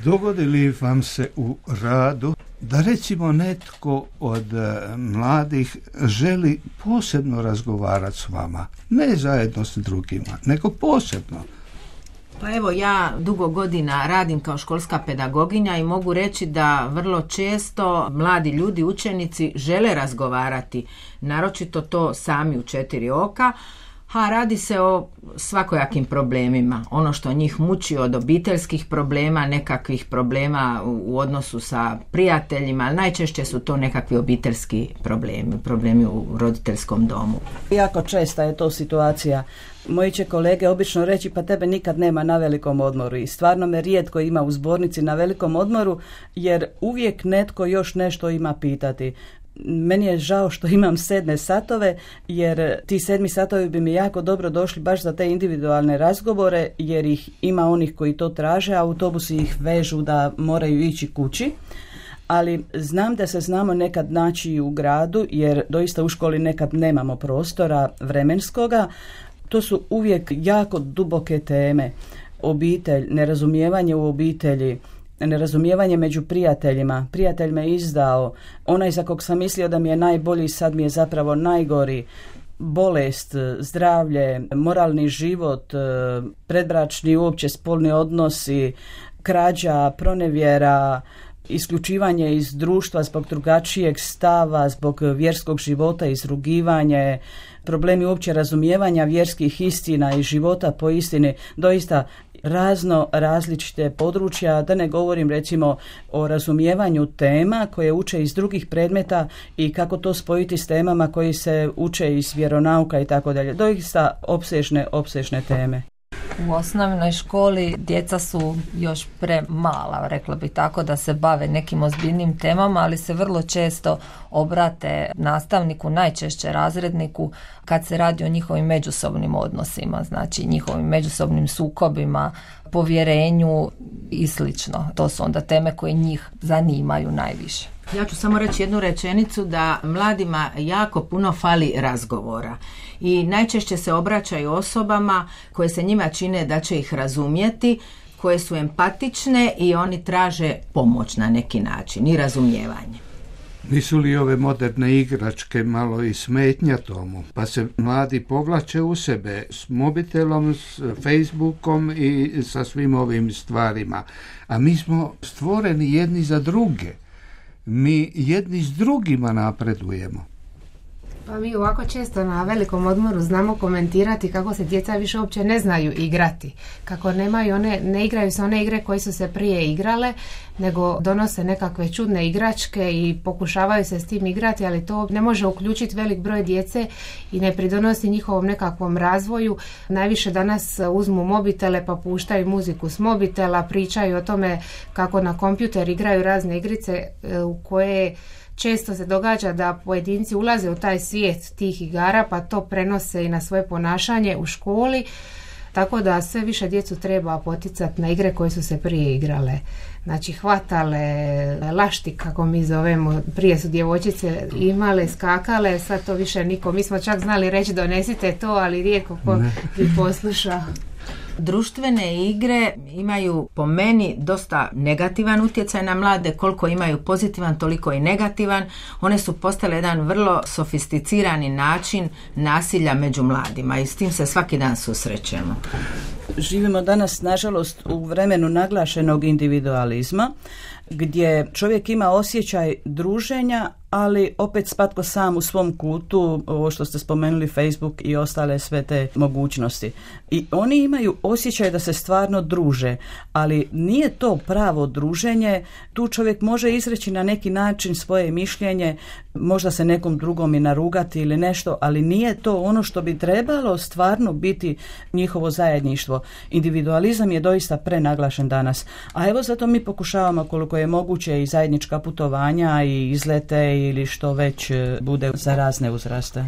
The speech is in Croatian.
Dogodi li vam se u radu da recimo netko od mladih želi posebno razgovarati s vama, ne zajedno s drugima, nego posebno? Pa evo, ja dugo godina radim kao školska pedagoginja i mogu reći da vrlo često mladi ljudi, učenici žele razgovarati, naročito to sami u 4 oka, a radi se o svakojakim problemima. Ono što njih muči od obiteljskih problema, nekakvih problema u odnosu sa prijateljima, ali najčešće su to nekakvi obiteljski problemi u roditeljskom domu. Jako česta je to situacija. Moji će kolege obično reći pa tebe nikad nema na velikom odmoru i stvarno me rijetko ima u zbornici na velikom odmoru jer uvijek netko još nešto ima pitati. Meni je žao što imam 7 satove jer ti 7 satovi bi mi jako dobro došli baš za te individualne razgovore jer ih ima onih koji to traže, a autobusi ih vežu da moraju ići kući. Ali znam da se znamo nekad naći u gradu jer doista u školi nekad nemamo prostora vremenskoga. To su uvijek jako duboke teme. Obitelj, nerazumijevanje u obitelji, nerazumijevanje među prijateljima. Prijatelj me izdao, onaj za kog sam mislio da mi je najbolji sad mi je zapravo najgori. Bolest, zdravlje, moralni život, predbračni uopće spolni odnosi, krađa, pronevjera, isključivanje iz društva zbog drugačijeg stava, zbog vjerskog života, izrugivanje, problemi uopće razumijevanja vjerskih istina i života po istini, doista različite područja, da ne govorim recimo o razumijevanju tema koje uče iz drugih predmeta i kako to spojiti s temama koji se uče iz vjeronauka i tako dalje. Doista opsežne teme. U osnovnoj školi djeca su još premala, rekla bi tako, da se bave nekim ozbiljnim temama, ali se vrlo često obrate nastavniku, najčešće razredniku, kad se radi o njihovim međusobnim odnosima, znači njihovim međusobnim sukobima, povjerenju i slično. To su onda teme koje njih zanimaju najviše. Ja ću samo reći jednu rečenicu da mladima jako puno fali razgovora i najčešće se obraćaju osobama koje se njima čine da će ih razumjeti, koje su empatične i oni traže pomoć na neki način i razumijevanje. Nisu li ove moderne igračke malo i smetnja tomu? Pa se mladi povlače u sebe s mobitelom, s Facebookom i sa svim ovim stvarima. A mi smo stvoreni jedni za druge. Mi jedni s drugima napredujemo. Pa mi ovako često na velikom odmoru znamo komentirati kako se djeca više uopće ne znaju igrati. Kako ne igraju se one igre koje su se prije igrale, nego donose nekakve čudne igračke i pokušavaju se s tim igrati, ali to ne može uključiti velik broj djece i ne pridonosi njihovom nekakvom razvoju. Najviše danas uzmu mobitele pa puštaju muziku s mobitela, pričaju o tome kako na kompjuter igraju razne igrice u koje često se događa da pojedinci ulaze u taj svijet tih igara pa to prenose i na svoje ponašanje u školi, tako da sve više djecu treba poticati na igre koje su se prije igrale. Znači hvatale, lašti kako mi zovemo, prije su djevojčice imale, skakale, sad to više niko. Mi smo čak znali reći donesite to, ali rijetko ko bi poslušao. Društvene igre imaju po meni dosta negativan utjecaj na mlade, koliko imaju pozitivan, toliko i negativan. One su postale jedan vrlo sofisticirani način nasilja među mladima i s tim se svaki dan susrećemo. Živimo danas, nažalost, u vremenu naglašenog individualizma, gdje čovjek ima osjećaj druženja, ali opet spatko sam u svom kutu, ovo što ste spomenuli, Facebook i ostale sve te mogućnosti. I oni imaju osjećaj da se stvarno druže, ali nije to pravo druženje. Tu čovjek može izreći na neki način svoje mišljenje, možda se nekom drugom i narugati ili nešto, ali nije to ono što bi trebalo stvarno biti njihovo zajedništvo. Individualizam je doista prenaglašen danas. A evo zato mi pokušavamo koliko je moguće i zajednička putovanja i izlete ili što već bude za razne uzraste.